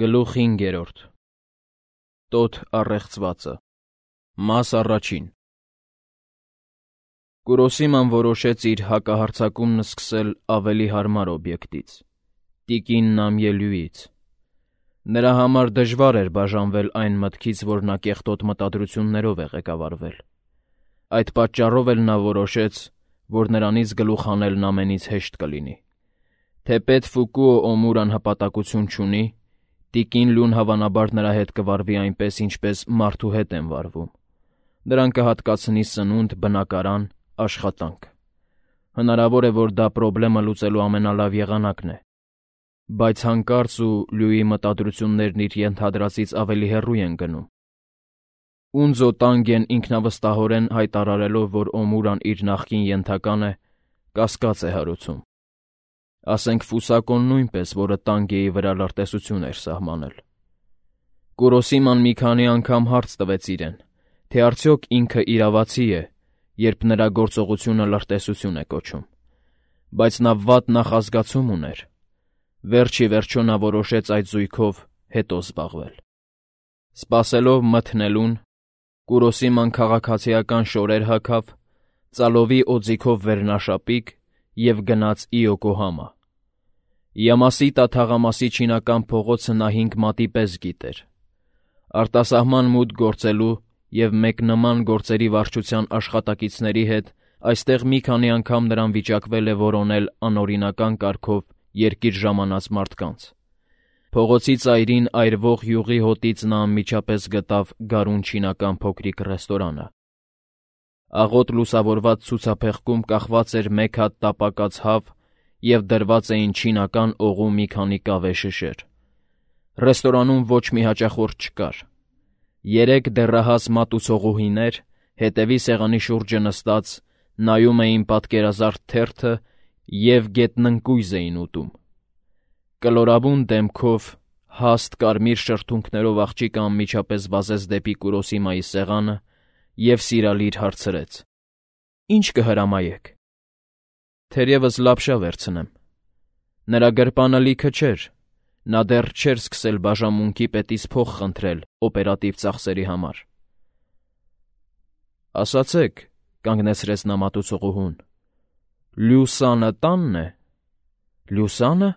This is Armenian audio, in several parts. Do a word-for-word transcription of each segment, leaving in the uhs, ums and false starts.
Գլուխ հինգերորդ Տոթ առեղծվածը Մաս առաջին Կուրոսիման որոշեց իր հակահարձակումն սկսել ավելի հարմար օբյեկտից՝ տիկին Նամիելյուից։ Նրա համար դժվար էր բաժանվել այն մտքից, որ նա կեղտոտ մտադրություններով է ղեկավարվել։ Այդ պատճառով էլ նա որոշեց, որ նրանից գլուխ հանելն ամենից հեշտ կլինի։ Թեպետ Ֆուկուո Օմուրան հպատակություն չունի, տիկին Լյուն հավանաբար նրա հետ կվարվի այնպես, ինչպես մարդու հետ են վարվում։ Նրան կհատկացնի սնունդ, բնակարան, աշխատանք։ Հնարավոր է, որ դա պրոբլեմը լուծելու ամենալավ եղանակն է, բայց հանկարծ ու Լյուի մտադրություններն իր ենթադրածից ավելի հեռու են գնում։ Ունձո Տանգեն ինքնավստահորեն հայտարարելով, որ Օմուրան իր նախկին ենթական է, կասկած է հարուցում։ Ասենք Ֆուսակոն նույնպես, որը Տանգեի վրա լրտեսություն էր սահմանել։ Կուրոսիման մի քանի անգամ հարց տվեց իրեն, թե արդյոք ինքը իրավացի է, երբ նրա գործողությունը լրտեսություն է կոչում, բայց նա վատ նախազգացում ուներ։ Վերջ ի վերջո նա որոշեց այդ զույգով հետո զբաղվել։ Սպասելով մթնելուն, Կուրոսիման քաղաքացիական շորեր հագավ, ծալովի օձիքով վերնաշապիկ և գնաց Իոկոհամա։ Յամասիտա թաղամասի չինական փողոցը նա հինգ մատի պես գիտեր։ Արտասահման մուտք գործելու և մեկնման գործերի վարչության աշխատակիցների հետ այստեղ մի քանի անգամ նրան վիճակվել է որոնել անօրինական կարգով երկիր ժամանած մարդկանց։ Փողոցի ծայրին այրվող յուղի հոտից նա անմիջապես գտավ գարուն չինական փոքրիկ ռեստորանը։ Աղոտ լուսավորված ցուցափեղկում կախված էր մեկ հատ տապակած հավ և դրված էին չինական օղու մի քանի կավե շշեր։ Ռեստորանում ոչ մի հաճախորդ չկար։ Երեք դեռահաս մատուցողուհիներ, հետևի սեղանի շուրջը նստած, նայում էին պատկերազարդ թերթը և գետնընկույզ էին ուտում։ Կլորավուն դեմքով, հաստ կարմիր շրթունքներով աղջիկը անմիջապես վազեց դեպի Կուրոսիմայի սեղանը և սիրալիր հարցրեց. «Ի՞նչ կհրամայեք»։ «Թերևս լապշա վերցնեմ»։ Նրա գրպանը լիքը չէր, նա դեռ չէր սկսել բաժանմունքի պետից փող խնդրել օպերատիվ ծախսերի համար։ «Ասացեք», կանգնեցրեց նա մատուցողուհուն, «Լյուսանը տա՞նն է»։ «Լյուսա՞նը»։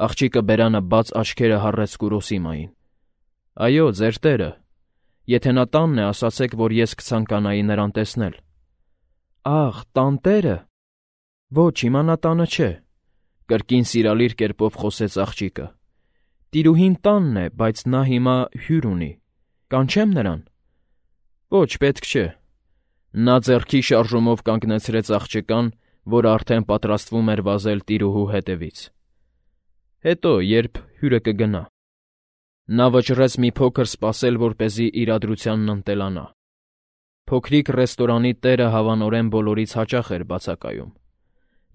Աղջիկը բերանը բաց աչքերը հառեց Կուրոսիմային։ «Այո, ձեր տերը։ Եթե նա տանն է, ասացեք, որ ես կցանկանայի նրան տեսնել»։ «Ախ, տանտերը։ Ոչ, հիմա նա տանը չէ», կրկին սիրալիր կերպով խոսեց աղջիկը։ «Տիրուհին տանն է, բայց նա հիմա հյուր ունի։ Կանչե՞մ նրան»։ «Ոչ, պետք չէ»։ Նա ձեռքի շարժումով կանգնեցրեց աղջկան, որը արդեն պատրաստվում էր վազել տիրուհու հետևից։ «Հետո, երբ հյուրը կգնա»։ Նա վճռեց մի փոքր սպասել, որպեսզի իրադրությանն ընտելանա։ Փոքրիկ ռեստորանի տերը հավանորեն բոլորից հաճախ էր բացակայում։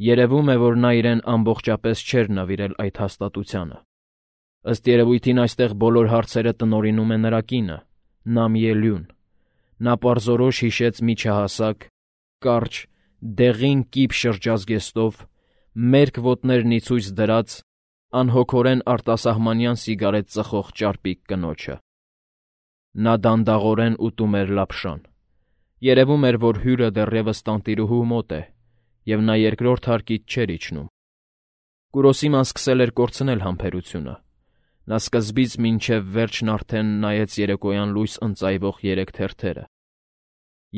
Երևում է, որ նա իրեն ամբողջապես չէր նվիրել այդ հաստատությանը։ Ըստ երևույթին այստեղ բոլոր հարցերը տնօրինում է նրա կինը՝ Նամիելյուն։ Նա պարզորոշ հիշեց միջահասակ, կարճ, դեղին կիպ շրջազգեստով, մերկ ոտներն ի ցույց դրած, անհոգորեն արտասահմանյան սիգարետ ծխող ճարպիկ կնոջը։ Նա դանդաղորեն ուտում էր լապշան։ Երևում էր, որ հյուրը դեռևս տանտիրուհու մոտ է, և նա երկրորդ հարկից չէր իջնում։ Կուրոսիման սկսել էր կորցնել համբերությունը։ Նա սկզբից մինչև վերջն արդեն նայեց երեկոյան լույս ընծայվող երեք թերթերը։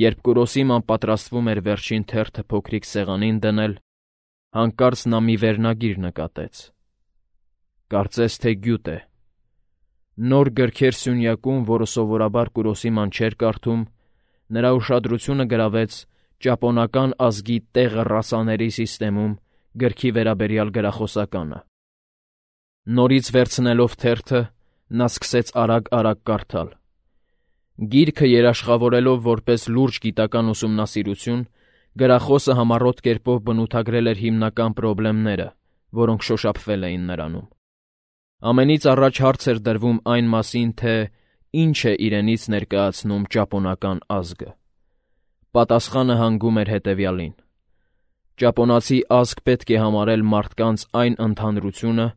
Երբ Կուրոսիման պատրաստվում էր վերջին թերթը փոքրիկ սեղանին դնել, հանկարծ նա մի վերնագիր նկատեց։ Կարծես թե գյուտ է։ Նոր գրքեր սյունյակում, որը սովորաբար Կուրոսիման չէր կարդում, նրա ուշադրությունը գրավեց ճապոնական ազգի տեղը ռասաների սիստեմում գրքի վերաբերյալ գրախոսականը։ Նորից վերցնելով թերթը, նա սկսեց արագ-արագ կարդալ։ Գիրքը երաշխավորելով որպես լուրջ գիտական ուսումնասիրություն, գրախոսը համառոտ կերպով բնութագրել էր հիմնական պրոբլեմները, որոնք շոշափվել էին նրանում։ Ամենից առաջ հարց էր դրվում այն մասին, թե ինչ է իրենից ներկայացնում ճապոնական ազգը։ Պատասխանը հանգում էր հետևյալին. ճապոնացի ազգ պետք է համարել մարդկանց այն ընդհանրությունը,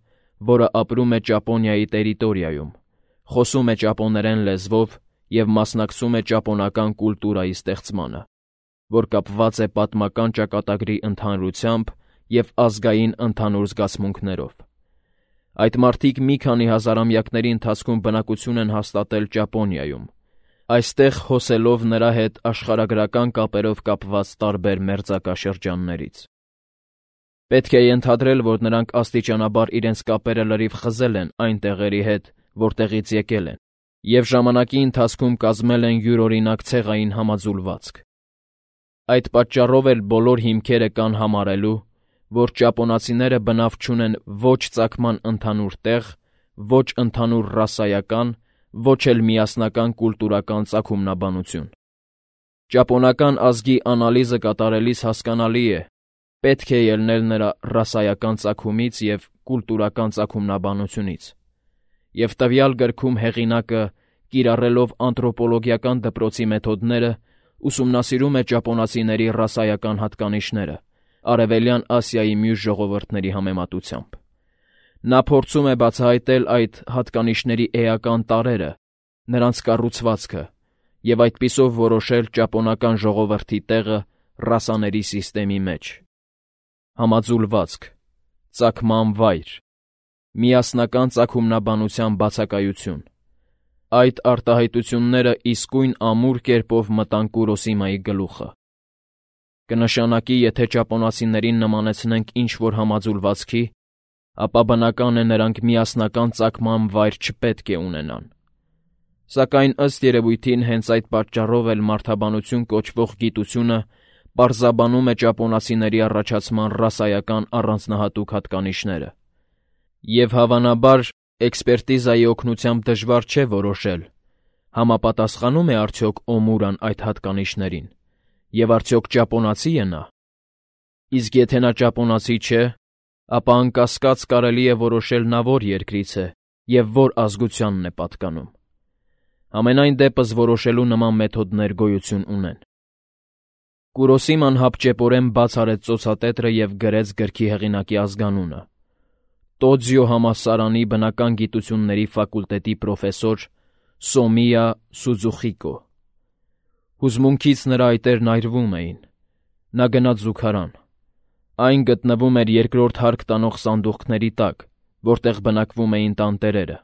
որը ապրում է Ճապոնիայի տերիտորիայում, խոսում է ճապոներեն լեզվով և մասնակցում է ճապոնական կուլտուրայի ստեղծմանը, որ կապված է պատմական ճակատագրի ընդհանրությամբ և ազգային ընդհանուր զգացմունքներով։ Այդ մարդիկ մի քանի հազարամյակների ընթացքում բնակություն են հաստատել Ճապոնիայում, այստեղ հոսելով նրա հետ աշխարհագրական կապերով կապված տարբեր մերձակաշրջաններից։ Պետք է ենթադրել, որ նրանք աստիճանաբար իրենց կապերը լրիվ խզել են այն տեղերի հետ, որտեղից եկել են, և ժամանակի ընթացքում կազմել են յուրօրինակ ցեղային համաձուլվածք։ Այդ պատճառով էլ բոլոր հիմքերը կան համարելու, որ ճապոնացիները բնավ չունեն ոչ ծագման ընդհանուր տեղ, ոչ ընդհանուր ռասայական, ոչ էլ միասնական կուլտուրական ծագումնաբանություն։ Ճապոնական ազգի անալիզը կատարելիս հասկանալի է, պետք է ելնել նրա ռասայական ծագումից և կուլտուրական ծագումնաբանությունից, և տվյալ գրքում հեղինակը, կիրառելով անթրոպոլոգիական դպրոցի մեթոդները, ուսումնասիրում է ճապոնացիների ռասայական հատկանիշները Արևելյան Ասիայի մյուս ժողովուրդների համեմատությամբ։ Նա փորձում է բացահայտել այդ հատկանիշների էական տարրերը, նրանց կառուցվածքը և այդպիսով որոշել ճապոնական ժողովրդի տեղը ռասաների սիստեմի մեջ։ Համաձուլվածք, ծագման վայր, միասնական ծագումնաբանության բացակայություն։ Այդ արտահայտությունները իսկույն ամուր կերպով մտան Կուրոսիմայի գլուխը։ Կնշանակի, եթե ճապոնացիներին նմանեցնենք ինչ-որ համաձուլվածքի, ապա բնական է նրանք միասնական ծագման վայր չպետք է ունենան։ Սակայն ըստ երևույթին հենց այդ պատճառով էլ մարդաբանություն կոչվող գիտությունը պարզաբանում է ճապոնացիների առաջացման ռասայական առանձնահատուկ հատկանիշները։ Եվ հավանաբար, էքսպերտիզայի օգնությամբ դժվար չէ որոշել, համապատասխանում է արդյոք Օմուրան այդ հատկանիշներին, և արդյոք ճապոնացի է նա։ Իսկ եթե նա ճապոնացի չէ, ապա անկասկած կարելի է որոշել նա որ երկրից է և որ ազգությանն է պատկանում։ Համենայն դեպս որոշելու նման մեթոդներ գոյություն ունեն։ Կուրոսիման հապճեպորեն բաց արեց ծոցատետրը և գրեց գրքի հեղինակի ազգանունը՝ Տոձիո համալսարանի բնական գիտությունների ֆակուլտետի պրոֆեսոր Սոմիյա Սուձուխիկո։ Հուզմունքից նրա այտերն այրվում էին։ Նա գնաց զուգարան։ Այն գտնվում էր երկրորդ հարկ տանող սանդուղքների տակ, որտեղ բնակվում էին տանտերերը։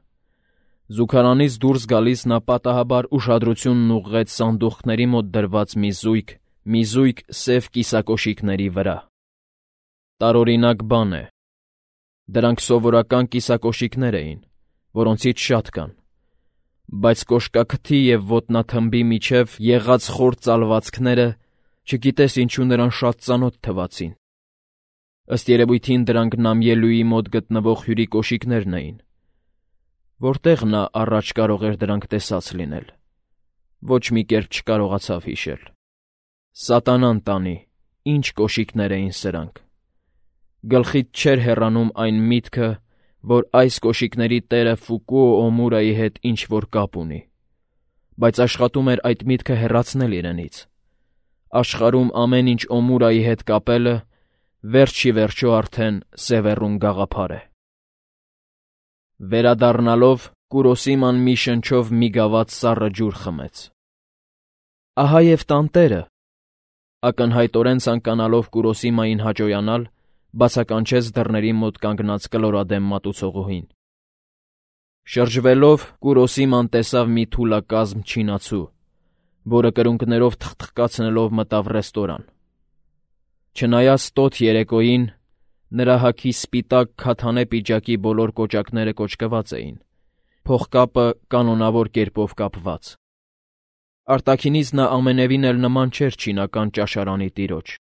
Զուգարանից դուրս գալիս նա պատահաբար ուշադրությունն ուղղեց սանդուղքների մոտ դրված մի զույգ, մի զույգ սև կիսակոշիկների վրա։ Տարօրինակ բան է։ Դրանք սովորական կիսակոշիկներ էին, որոնցից շատ կան, բայց կոշկաքթի և ոտնաթմբի միջև եղած խոր ծալվածքները չգիտես ինչու նրան շատ ծանոթ թվացին։ Ըստ երևույթին դրանք նամիելուի մոտ գտնվող հյուրի կոշիկներն էին։ Որտեղ նա առաջ կարող էր դրանք տեսած լինել։ Ոչ մի կերպ չկարողացավ հիշել։ Սատանան տանի, ինչ կոշիկներ էին սրանք։ Գլխից չէր հեռանում այն միտքը, որ այս կոշիկների տերը Ֆուկուո Օմուրայի հետ ինչ-որ կապ ունի, բայց աշխատում էր այդ միտքը հեռացնել իրենից։ Աշխարհում ամեն ինչ Օմուրայի հետ կապելը վերջ ի վերջո արդեն Սևեռուն գաղափար է։ Վերադառնալով, Կուրոսիման մի շնչով մի գավաթ սառը ջուր խմեց։ Ահա և տանտերը, ակնհայտորեն ցանկանալով Կուրոսիմային հաճոյանալ, բացականչեց դռների մոտ կանգնած կլորադեմ մատուցողուհին։ Շրջվելով, Կուրոսիման տեսավ մի թուլակազմ չինացու, որը կրունկներով թխթխկացնելով մտավ ռեստորան։ Չնայած տոտ երեկոյին, նրա հագի սպիտակ քաթանե պիջակի բոլոր կոճակները կոճկված էին, փողկապը կանոնավոր կերպով կապված։ Արտաքինից նա ամենևին էլ նման չէր չինական ճաշարանի տիրոջ,